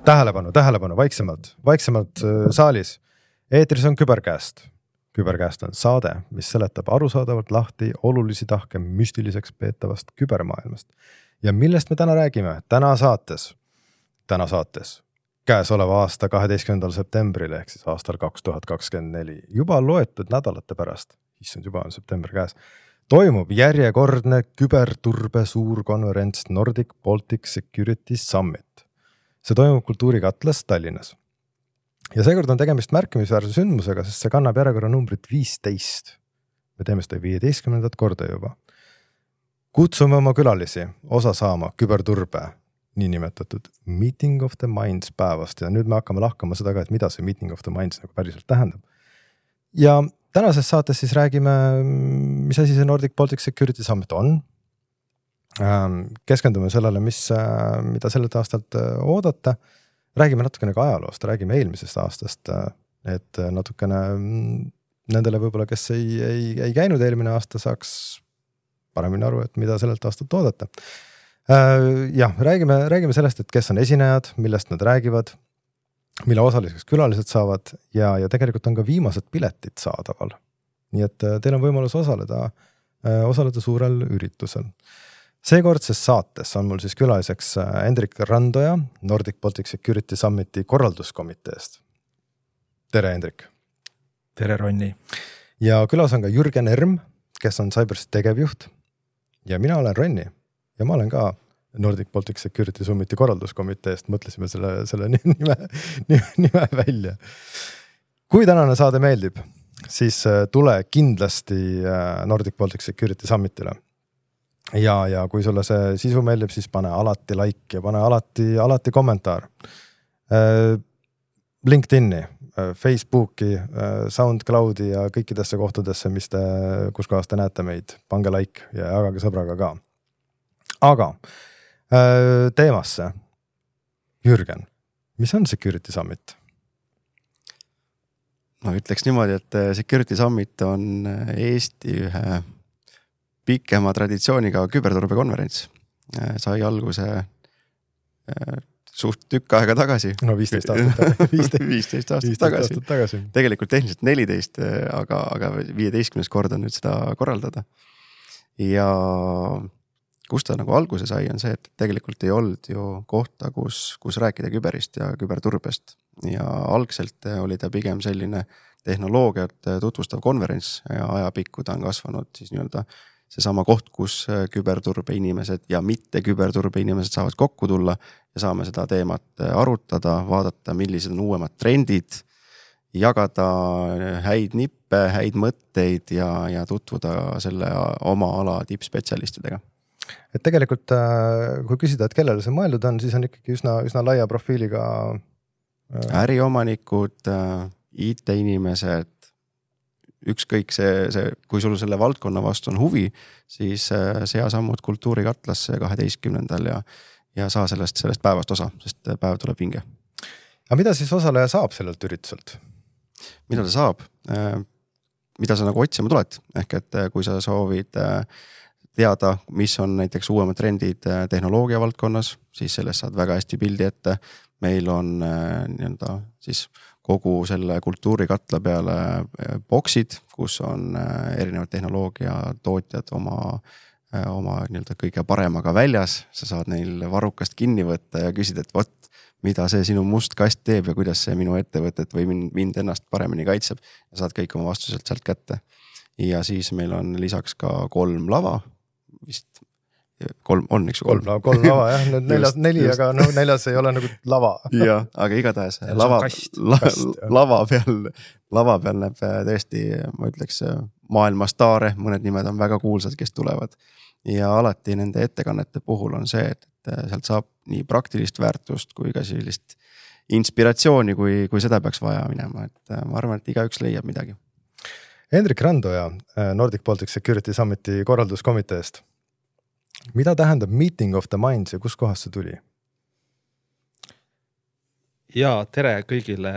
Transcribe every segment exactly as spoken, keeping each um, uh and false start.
Tähelepanu, tähelepanu, vaiksemalt, vaiksemalt saalis. Eetris on Küberkäest. Küberkäest on saade, mis seletab arusaadavalt lahti olulisi tahke müstiliseks peetavast kübermaailmast. Ja millest me täna räägime? Täna saates, täna saates, käesoleva aasta kaheteistkümnendal septembril ehk siis aastal kaks tuhat kakskümmend neli, juba loetud nädalate pärast, issand juba on september käes, toimub järjekordne küberturbe suurkonverents Nordic Baltic Security Summit. See toimub Kultuurikatlas Tallinnas. Ja seekord on tegemist märkimisväärse sündmusega, sest see kannab järjekorra numbrit viisteist. Me teeme seda viieteistkümnendat korda juba. Kutsume oma külalisi osa saama küberturbe, niinimetatud Meeting of the Minds päevast. Ja nüüd me hakkame lahkama seda ka, et mida see Meeting of the Minds nagu päriselt tähendab. Ja tänases saates siis räägime, mis asi see Nordic Baltic Security Summit on. Keskendume sellele, mis, mida sellelt aastalt oodata. Räägime natukene ka ajaloost, räägime eelmisest aastast, et natukene nendele võib-olla, kes ei, ei, ei käinud eelmine aasta, saaks paremini aru, et mida sellelt aastalt oodata. Ja, räägime, räägime sellest, et kes on esinejad, millest nad räägivad, mille osaliseks külalised saavad ja, ja tegelikult on ka viimased piletid saadaval. Nii et teil on võimalus osaleda, osaleda suurel üritusel. Seekordses saates on mul siis külaliseks Hendrik Randoja Nordic Baltic Security Summiti korralduskomiteest. Tere, Hendrik! Tere, Ronni! Ja külas on ka Jürgen Erm, kes on Cybersi tegevjuht. Ja mina olen Ronni ja ma olen ka Nordic Baltic Security Summiti korralduskomiteest. Mõtlesime selle, selle nime, nime välja. Kui tänane saade meeldib, siis tule kindlasti Nordic Baltic Security Summitile. Ja, ja kui sulle see sisu meeldib, siis pane alati like ja pane alati, alati kommentaar. LinkedIni, Facebooki, SoundCloudi ja kõikidesse kohtadesse, mis te, kus kohas te näete meid. Pange like ja jagage sõbraga ka. Aga teemasse. Jürgen, mis on Security Summit? No ütleks niimoodi, et Security Summit on Eesti ühe pikema traditsiooniga küberturbe konverents. Sai alguse suht tükk aega tagasi. No viisteist aastat, viisteist aastat tagasi. tagasi. Tegelikult tehniliselt neliteist, aga, aga viieteistkümnes kord on nüüd seda korraldada. Ja kus ta nagu alguse sai, on see, et tegelikult ei olnud ju kohta, kus, kus rääkida küberist ja küberturbest. Ja algselt oli ta pigem selline tehnoloogiat tutvustav konverents ja ajapikku ta on kasvanud siis nii-öelda see sama koht, kus küberturbe inimesed ja mitte küberturbe inimesed saavad kokku tulla ja saame seda teemat arutada, vaadata, millised on uuemad trendid, jagada häid nippe, häid mõtteid ja, ja tutvuda selle oma ala tippspetsialistidega. Et tegelikult, kui küsida, et kellele see mõeldud on, siis on ikkagi üsna, üsna laia profiiliga äriomanikud, I T-inimesed, ükskõik see, see, kui sul selle valdkonna vastu on huvi, siis sea sammud Kultuurikatlasse kaheteistkümnendal ja, ja saa sellest, sellest päevast osa, sest päev tuleb vinge. Aga mida siis osaleja saab sellelt ürituselt? Mida ta saab? Mida sa nagu otsima tuled? Ehk et kui sa soovid teada, mis on näiteks uuemad trendid tehnoloogia valdkonnas, siis sellest saad väga hästi pildi ette. Meil on nii-öelda siis kogu selle Kultuurikatla peale boksid, kus on erinevad tehnoloogia tootjad oma, oma nii-öelda kõige paremaga väljas. Sa saad neil varrukast kinni võtta ja küsida, et vot, mida see sinu must kast teeb ja kuidas see minu ettevõtet või mind ennast paremini kaitseb. Ja saad kõik oma vastuselt sealt kätte. Ja siis meil on lisaks ka kolm lava, vist kolm on, eks kolm, kolm, kolm lava, jah, nüüd neljas, just, neli, just. Aga no, neljas ei ole nagu lava. Ja, aga igatahes lava, la, lava, peal, lava peal näeb tõesti, ma ütleks, maailma staare, mõned nimed on väga kuulsad, kes tulevad. Ja alati nende ettekannete puhul on see, et sealt saab nii praktilist väärtust kui ka sellist inspiratsiooni, kui, kui seda peaks vaja minema. Et ma arvan, et igaüks leiab midagi. Hendrik Randoja Nordic Baltic Security Summiti korralduskomiteest. Mida tähendab Meeting of the Minds ja kus kohas see tuli? Ja tere kõigile.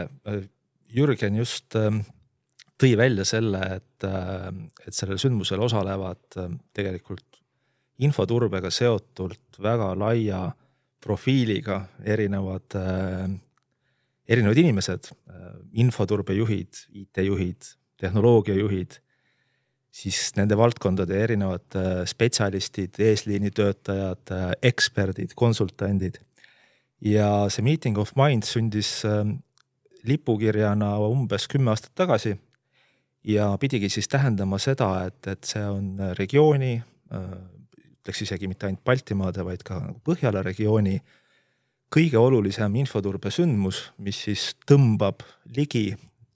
Jürgen just tõi välja selle, et, et sellel sündmusel osalevad tegelikult infoturbega seotult väga laia profiiliga erinevad, erinevad inimesed, infoturbejuhid, I T-juhid, tehnoloogiajuhid, siis nende valdkondade erinevad spetsialistid, eesliinitöötajad, eksperdid, konsultandid. Ja see Meeting of Minds sündis lipukirjana umbes kümme aastat tagasi ja pidigi siis tähendama seda, et, et see on regiooni, ütleks isegi mitte ainult Baltimaade, vaid ka Põhjala regiooni kõige olulisem infoturbe sündmus, mis siis tõmbab ligi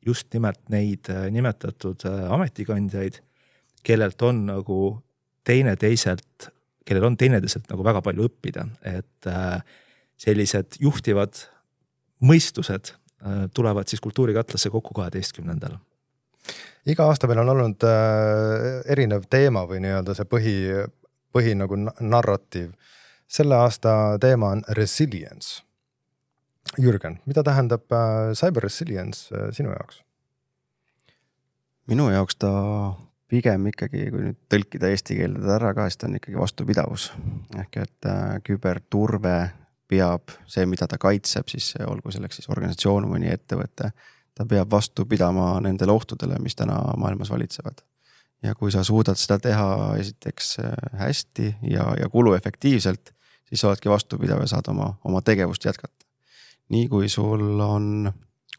just nimelt neid nimetatud ametikandjaid, kellelt on nagu teine teiselt, kellel on teineteiselt nagu väga palju õppida, et sellised juhtivad mõistused tulevad siis kultuurikatlasse kokku kaheteistkümnendal. Iga aasta meil on olnud erinev teema või nii-öelda see põhi, põhi nagu narratiiv. Selle aasta teema on resilience. Jürgen, mida tähendab cyber resilience sinu jaoks? Minu jaoks ta pigem ikkagi, kui nüüd tõlkida eesti keelde ära ka, siis ta on ikkagi vastupidavus. Ehk et küberturve peab see, mida ta kaitseb, siis olgu selleks siis organisatsioon või nii ettevõte, ta peab vastu pidama nendele ohtudele, mis täna maailmas valitsevad. Ja kui sa suudad seda teha esiteks hästi ja, ja kuluefektiivselt, siis oledki vastupidav ja saad oma, oma tegevust jätkata. Nii kui sul on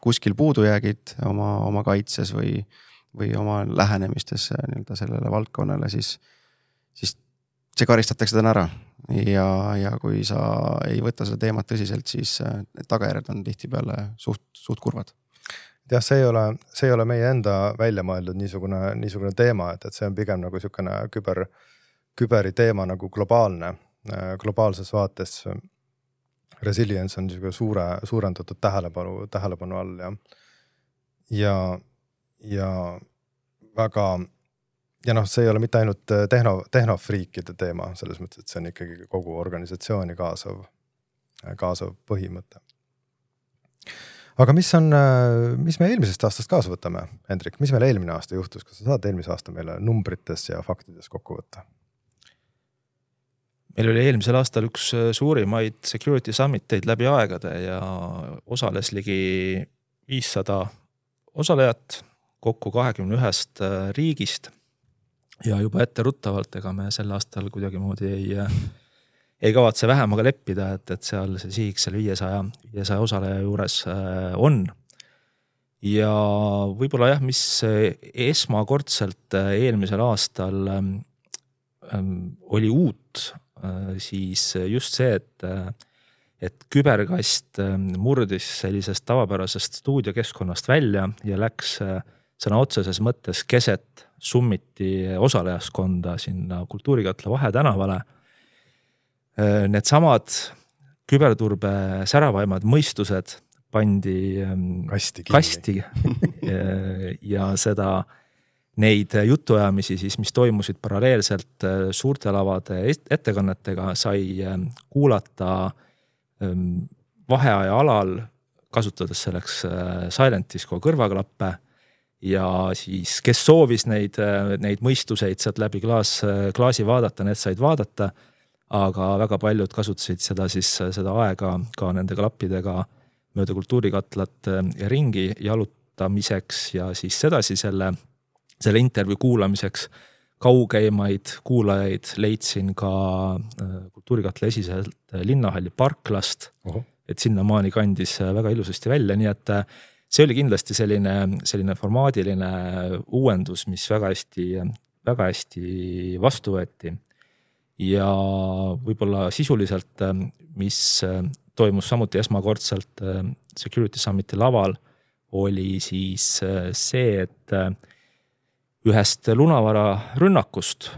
kuskil puudujäägid oma, oma kaitses või, või oma lähenemistes nii-öelda sellele valdkonnale, siis, siis see karistatakse täna ära. Ja, ja kui sa ei võta seda teemat tõsiselt, siis tagajärjed on tihtipeale suht, suht kurvad. jah, see ei ole, see ei ole meie enda välja mõeldud niisugune, niisugune teema, et, et see on pigem nagu niisugune küber, küberi teema nagu globaalne, globaalses vaates. Resilience on niisugune suure, suurendatud tähelepanu, tähelepanu all ja, ja, ja väga, ja noh, see ei ole mitte ainult tehno, tehnofriikide teema, selles mõttes, et see on ikkagi kogu organisatsiooni kaasav, kaasav põhimõte. Aga mis on, mis me eelmisest aastast kaasa võtame, Hendrik? Mis meil eelmine aasta juhtus? Kas sa saad eelmise aasta meile numbrites ja faktides kokku võtta? Meil oli eelmisel aastal üks suurimaid Security Summiteid läbi aegade ja osales ligi viissada osalejat kokku kahekümne ühest riigist. Ja juba ette ruttavalt, ega me sel aastal kuidagi moodi ei, ei kavatse vähemaga leppida, et, et seal see sihiks seal viiesaja osaleja juures on. Ja võib-olla jah, mis esmakordselt eelmisel aastal oli uut, siis just see, et, et küberkast murdis sellisest tavapärasest stuudiokeskkonnast välja ja läks sõna otseses mõttes keset summiti osalejaskonda sinna Kultuurikatla Vahetänavale. Need samad küberturbe säravaimad mõistused pandi kasti, kasti ja seda neid jutuajamisi, siis, mis toimusid paralleelselt suurte lavade ettekannetega, sai kuulata vaheaja alal, kasutades selleks Silent Disco kõrvaklappe ja siis, kes soovis neid, neid mõistuseid sealt läbi klaas, klaasi vaadata, need said vaadata, aga väga paljud kasutasid seda, siis, seda aega ka nende klappidega mööda Kultuurikatlat ja ringi jalutamiseks ja siis sedasi selle selle intervjuu kuulamiseks kaugeimaid kuulajaid leidsin ka Kultuurikatla esiselt linnahalli parklast, uh-huh. et sinna maani kandis väga ilusasti välja, nii et see oli kindlasti selline, selline formaadiline uuendus, mis väga hästi, väga hästi vastu võeti. Ja võib-olla sisuliselt, mis toimus samuti esmakordselt Security Summiti laval, oli siis see, et ühest lunavara rünnakust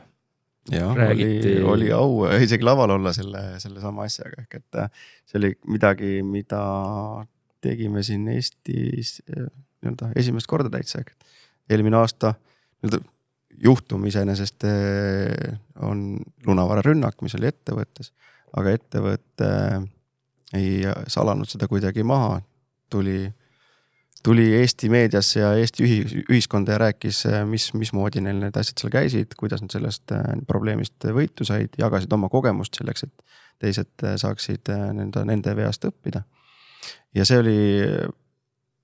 ja, räägiti. Oli, oli au isegi laval olla selle, selle sama asjaga. Ehk et see oli midagi, mida tegime siin Eestis nii-öelda esimest korda täitsa. Eelmine aasta nii-öelda juhtum iseenesest on lunavara rünnak, mis oli ettevõttes, aga ettevõtte ei salanud seda kuidagi maha. Tuli tuli Eesti meediasse ja Eesti ühiskonda ja rääkis, mis, mis moodi neil need asjad seal käisid, kuidas nad sellest probleemist võitu said, jagasid oma kogemust selleks, et teised saaksid nende, nende veast õppida. Ja see oli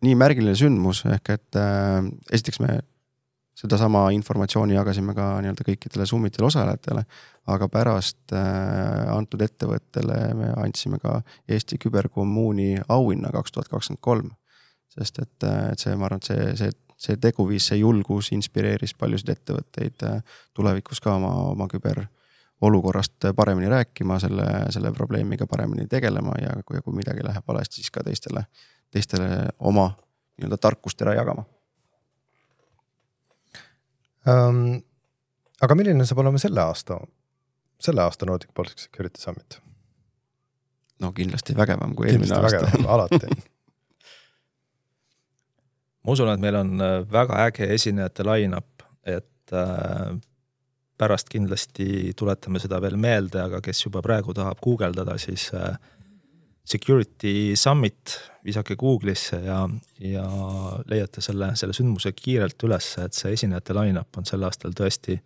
nii märgiline sündmus, ehk et äh, esiteks me seda sama informatsiooni jagasime ka nii-öelda kõikidele Summitile osalejatele, aga pärast äh, antud ettevõttele me andsime ka Eesti Küberkommuuni auhinna kaks tuhat kakskümmend kolm. Sest et, et see, ma arvan, et see, see, see teguviis, see julgus inspireeris paljusid ettevõtteid tulevikus ka oma, oma küber olukorrast paremini rääkima, selle, selle probleemiga paremini tegelema ja kui, kui midagi läheb valesti, siis ka teistele, teistele oma nii-öelda tarkust ära jagama. Um, aga milline saab olema selle aasta, selle aasta Nordic Baltic Security Summit? No kindlasti vägevam kui eelmine aasta. Vägevam, alati. Ma usun, et meil on väga äge esinejate line-up, et pärast kindlasti tuletame seda veel meelde, aga kes juba praegu tahab guugeldada, siis Security Summit visake Google'isse ja, ja leiate selle, selle sündmuse kiirelt üles, et see esinejate line-up on sel aastal tõesti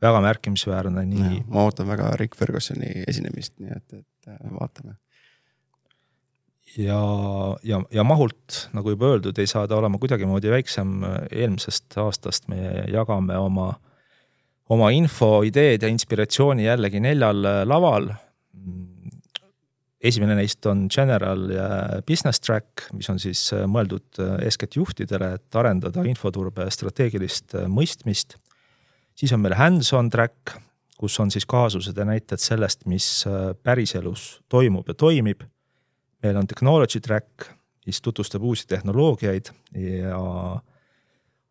väga märkimisväärne. Nii... Ja, ma ootan väga Rick Fergusoni esinemist, nii et, et vaatame. Ja, ja, ja mahult, nagu juba öeldud, ei saa ta olema kuidagi moodi väiksem eelmisest aastast. Me jagame oma, oma info, ideed ja inspiratsiooni jällegi neljal laval. Esimene neist on General ja Business Track, mis on siis mõeldud eeskätt juhtidele, et arendada infoturbe strateegilist mõistmist. Siis on meil Hands-on Track, kus on siis kaasused ja näited sellest, mis päriselus toimub ja toimib. Meil on Technology Track, mis tutvustab uusi tehnoloogiaid ja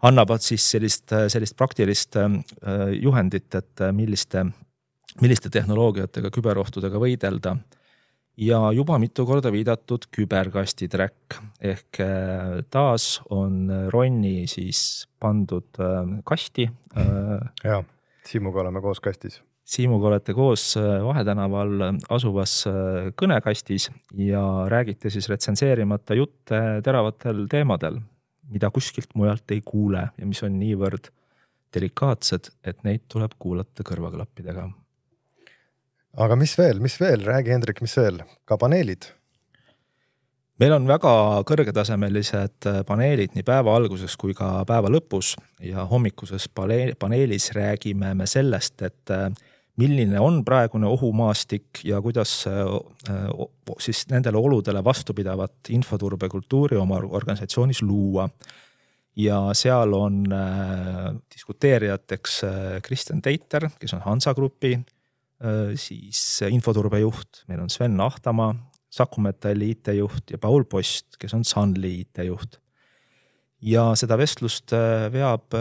annavad siis sellist, sellist praktilist juhendit, et milliste, milliste tehnoloogiatega, küberohtudega võidelda. Ja juba mitu korda viidatud küberkasti track, ehk taas on Ronni siis pandud kasti. Ja, Siimuga oleme koos kastis. Siimuga olete koos Vahetänaval asuvas kõnekastis ja räägite siis retsenseerimata jutte teravatel teemadel, mida kuskilt mujalt ei kuule ja mis on niivõrd delikaatsed, et neid tuleb kuulata kõrvaklappidega. Aga mis veel, mis veel? Räägi, Hendrik, mis veel? Ka paneelid? Meil on väga kõrgetasemelised paneelid nii päeva alguses kui ka päeva lõpus ja hommikuses paneelis räägime me sellest, et milline on praegune ohumaastik ja kuidas siis nendele oludele vastupidavat infoturbekultuuri oma organisatsioonis luua. Ja seal on diskuteerijateks Kristjan Teiter, kes on Hansa Grupi, siis infoturbejuht, meil on Sven Ahtamaa, Saku Metalli I T-juht ja Paul Post, kes on Sunly I T-juht. Ja seda vestlust veab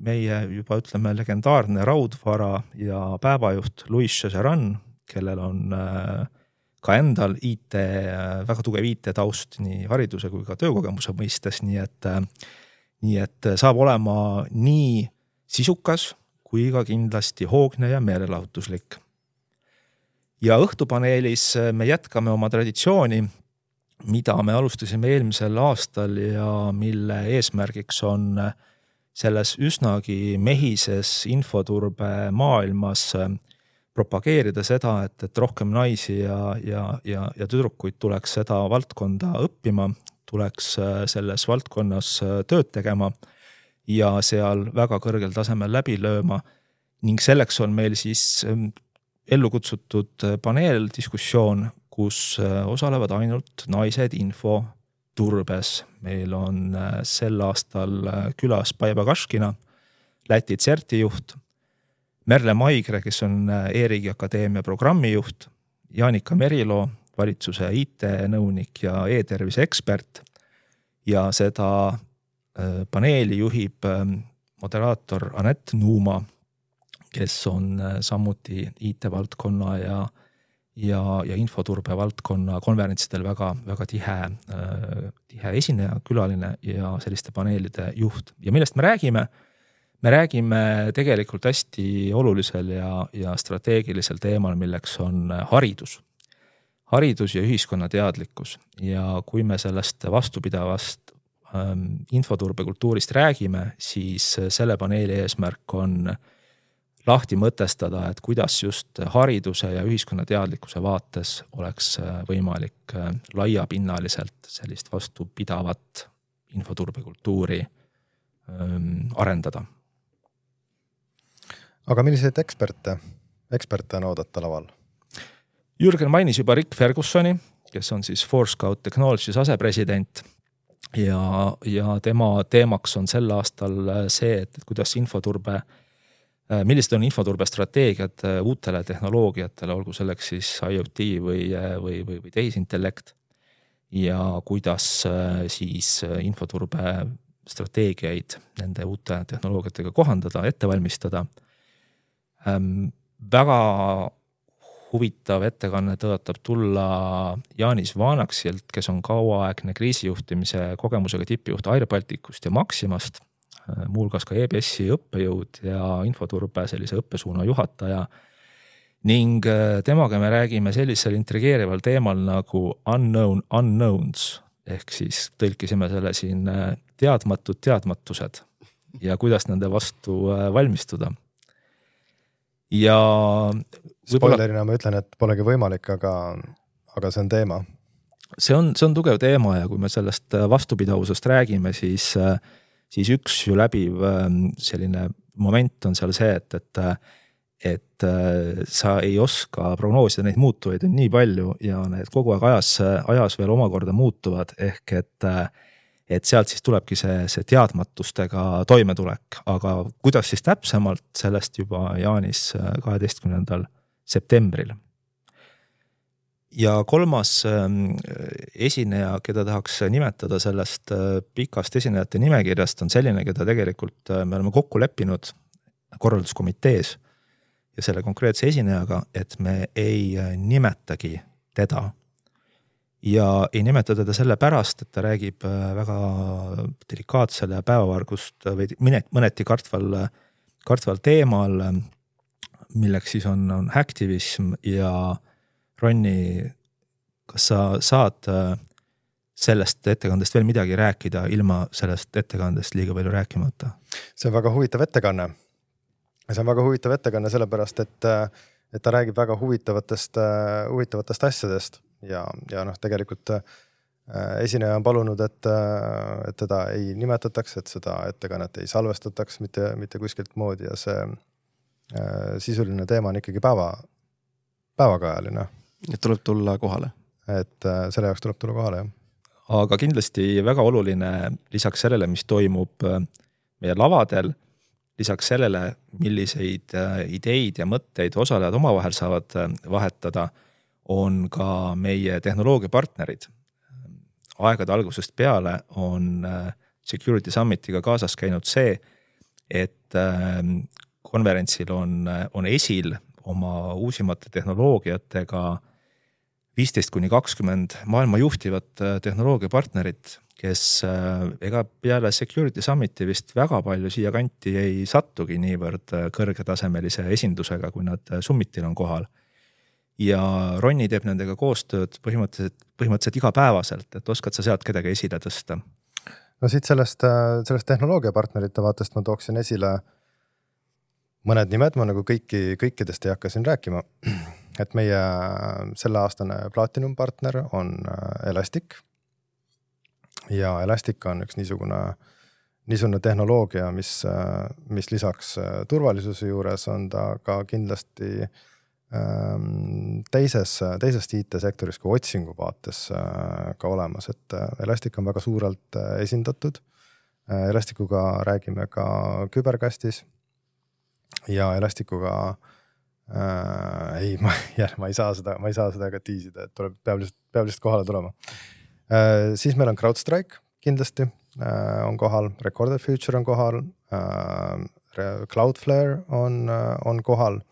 meie juba ütleme legendaarne raudvara ja päevajuht Louis Chezeran, kellel on ka endal I T, väga tugev I T taust nii hariduse kui ka töökogemuse mõistes, nii et, nii et saab olema nii sisukas kui ka kindlasti hoogne ja meelelahutuslik. Ja õhtupaneelis me jätkame oma traditsiooni, mida me alustasime eelmisel aastal ja mille eesmärgiks on selles üsnagi mehises infoturbe maailmas propageerida seda, et, et rohkem naisi ja, ja, ja, ja tüdrukuid tuleks seda valdkonda õppima, tuleks selles valdkonnas tööd tegema ja seal väga kõrgel tasemel läbi lööma ning selleks on meil siis ellu kutsutud paneeldiskussioon, kus osalevad ainult naised info turbes. Meil on sel aastal külas Paiva Kaškina, Läti CERTi-juht, Merle Maigre, kes on E-riigi Akadeemia programmijuht, Jaanika Merilo, valitsuse I T-nõunik ja e-tervise ekspert ja seda paneeli juhib moderaator Anett Nuuma, kes on samuti I T-valdkonna ja, ja, ja infoturbe valdkonna konverentsidel väga, väga tihe, tihe esineja, külaline ja selliste paneelide juht. Ja millest me räägime? Me räägime tegelikult hästi olulisel ja, ja strateegilisel teemal, milleks on haridus. Haridus ja ühiskonna teadlikkus. Ja kui me sellest vastupidavast ähm, infoturbekultuurist räägime, siis selle paneeli eesmärk on lahti mõtestada, et kuidas just hariduse ja ühiskonna teadlikkuse vaates oleks võimalik laiapinnaliselt sellist vastupidavat infoturbekultuuri arendada. Aga milliseid eksperte, eksperte on oodata laval? Jürgen mainis juba Rick Fergusoni, kes on siis Forescout Technologies asepresident ja, ja tema teemaks on sel aastal see, et kuidas infoturbe, millised on infoturbe strateegiad uutele tehnoloogiatele, olgu selleks siis IoT või, või, või, või tehisintellekt ja kuidas siis infoturbe strateegiaid nende uute tehnoloogiatega kohandada, ette valmistada. Ähm, väga huvitav ettekanne tõotab tulla Jaanis Vaanaksilt, kes on kauaaegne kriisijuhtimise kogemusega tippjuht Air Balticust ja Maximast, muulgas ka E B S-i õppejõud ja infoturbe sellise õppesuuna juhataja. Ning temaga me räägime sellisel intrigeerival teemal nagu unknown unknowns, ehk siis tõlkisime selle siin teadmatud teadmatused ja kuidas nende vastu valmistuda. Ja spoilerina ma ütlen, et polegi võimalik, aga, aga see on teema. See on, see on tugev teema ja kui me sellest vastupidavusest räägime, siis, siis üks ju läbiv selline moment on seal see, et, et, et sa ei oska prognoosida neid muutuvaid on nii palju ja need kogu aeg ajas, ajas veel omakorda muutuvad, ehk et et sealt siis tulebki see, see teadmatustega toimetulek, aga kuidas siis täpsemalt, sellest juba Jaanis kaheteistkümnendal septembril. Ja kolmas esineja, keda tahaks nimetada sellest pikast esinejate nimekirjast, on selline, keda tegelikult me oleme kokku leppinud korralduskomitees ja selle konkreetse esinejaga, et me ei nimetagi teda. Ja ei nimeta teda selle pärast, et ta räägib väga delikaatsele päevavargust või mõneti kartval, kartval teemal, milleks siis on, on hacktivism ja Ronni, kas sa saad sellest ettekandest veel midagi rääkida ilma sellest ettekandest liiga palju rääkimata? See on väga huvitav ettekanne. See on väga huvitav ettekanne sellepärast, et, et ta räägib väga huvitavatest, huvitavatest asjadest. Ja, ja noh, tegelikult äh, esineja on palunud, et, äh, et teda ei nimetataks, et seda ettekannet ei salvestataks mitte, mitte kuskilt moodi ja see äh, sisuline teema on ikkagi päeva, päevakajaline. Et tuleb tulla kohale. Et äh, selle jaoks tuleb tulla kohale, jah. Aga kindlasti väga oluline lisaks sellele, mis toimub meie lavadel, lisaks sellele, milliseid ideid ja mõtteid osalejad omavahel saavad vahetada, on ka meie tehnoloogiapartnerid. Aegade algusest peale on Security Summitiga kaasas käinud see, et konverentsil on, on esil oma uusimate tehnoloogiatega viisteist kuni kakskümmend maailma juhtivat tehnoloogiapartnerit, kes ega peale Security Summiti vist väga palju siia kanti ei sattugi niivõrd kõrgetasemelise esindusega, kui nad Summitil on kohal. Ja Ronni teeb nendega koostööd põhimõtteliselt, põhimõtteliselt igapäevaselt, et oskad sa sealt kedagi esile tõsta? No siit sellest, sellest tehnoloogiapartnerite vaatest ma tooksin esile mõned nimed, ma nagu kõiki, kõikidest ei hakka siin rääkima, et meie selle aastane Platinum partner on Elastic ja Elastic on üks niisugune, niisugune tehnoloogia, mis, mis lisaks turvalisuse juures on ta ka kindlasti teises, teises I T-sektoris kui otsingu vaates ka olemas, et Elastic on väga suurelt esindatud. Elastikuga räägime ka küberkastis ja Elastikuga äh, ei, ma, jah, ma ei saa seda, ma ei saa seda ka tiisida, et tuleb, peab lihtsalt, peab lihtsalt kohale tulema. Äh, siis meil on CrowdStrike kindlasti äh, on kohal, Recorded Future on kohal, äh, Cloudflare on, on kohal.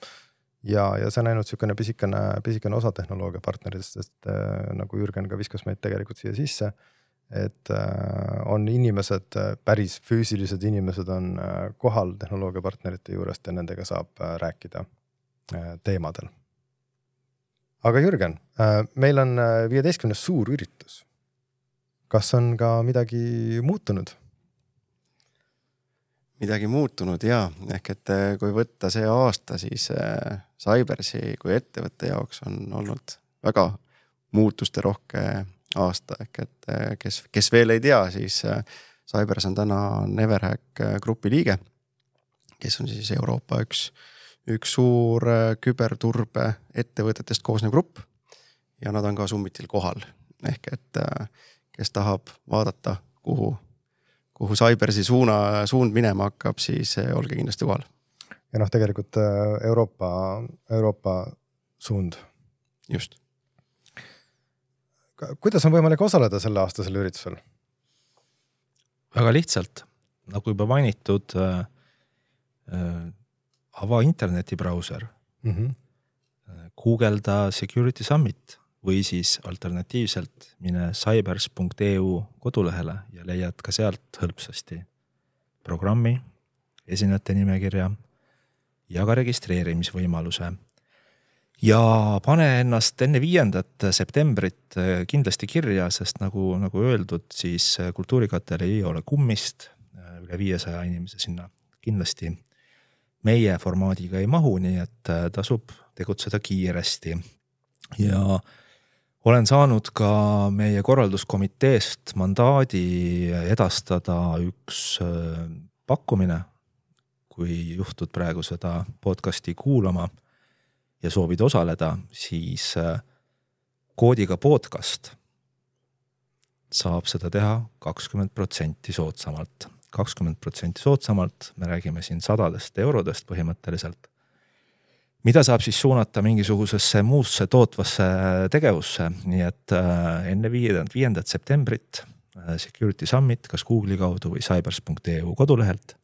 Ja, ja see on ainult niisugune pisikene, pisikene osa tehnoloogia partneritest, sest äh, nagu Jürgen ka viskas meid tegelikult siia sisse, et äh, on inimesed, päris füüsilised inimesed on äh, kohal tehnoloogia partnerite juurest ja nendega saab äh, rääkida äh, teemadel. Aga Jürgen, äh, meil on viieteistkümnes suur üritus. Kas on ka midagi muutunud? midagi muutunud ja ehk et kui võtta see aasta, siis Cybersi kui ettevõtte jaoks on olnud väga muutuste rohke aasta, ehk et kes, kes veel ei tea, siis Cybers on täna Neverhack grupi liige, kes on siis Euroopa üks, üks suur küberturbe ettevõtetest koosnev grupp ja nad on ka Summitil kohal, ehk et kes tahab vaadata, kuhu kuhu Cybersi suuna, suund minema hakkab, siis olge kindlasti kohal. Ja noh, tegelikult Euroopa, Euroopa suund. Just. Kuidas on võimalik osaleda selle aastasel üritusel? Väga lihtsalt, nagu juba mainitud, äh, ava internetibrauser, mm-hmm. Google'da Security Summit või siis alternatiivselt mine cybers punkt e u kodulehele ja leiad ka sealt hõlpsasti programmi, esinejate nimekirja ja ka registreerimisvõimaluse. Ja pane ennast enne viiendat septembrit kindlasti kirja, sest nagu, nagu öeldud, siis kultuurikatel ei ole kummist, üle viiesaja inimese sinna kindlasti meie formaadiga ei mahu, nii et tasub tegutseda kiiresti. Ja olen saanud ka meie korralduskomiteest mandaadi edastada üks pakkumine, kui juhtud praegu seda podcasti kuulama ja soovid osaleda, siis koodiga podcast saab seda teha kakskümmend protsenti soodsamalt. kakskümmend protsenti soodsamalt, me räägime siin sadadest eurodest põhimõtteliselt. Mida saab siis suunata mingisugusesse muusse tootvasse tegevusse, nii et enne viiendat septembrit Security Summit, kas Google'i kaudu või cybers punkt e u kodulehelt,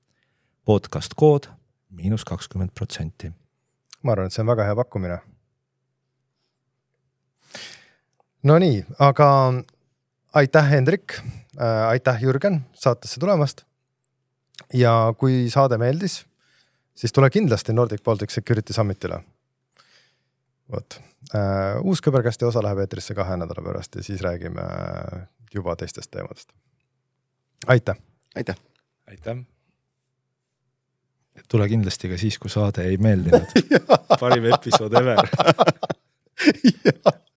podcast kood miinus kakskümmend protsenti. Ma arvan, et see on väga hea pakkumine. No nii, aga aitäh Hendrik, aitäh Jürgen saatesse tulemast ja kui saade meeldis, siis tule kindlasti Nordic Baltic Security Summitile. Võt. Uus Küberkästi osa läheb eetrisse kahe nädala pärast ja siis räägime juba teistest teemadest. Aitäh! Aitäh! Aitäh! Tule kindlasti ka siis, kui saade ei meeldinud. Parim episood ever.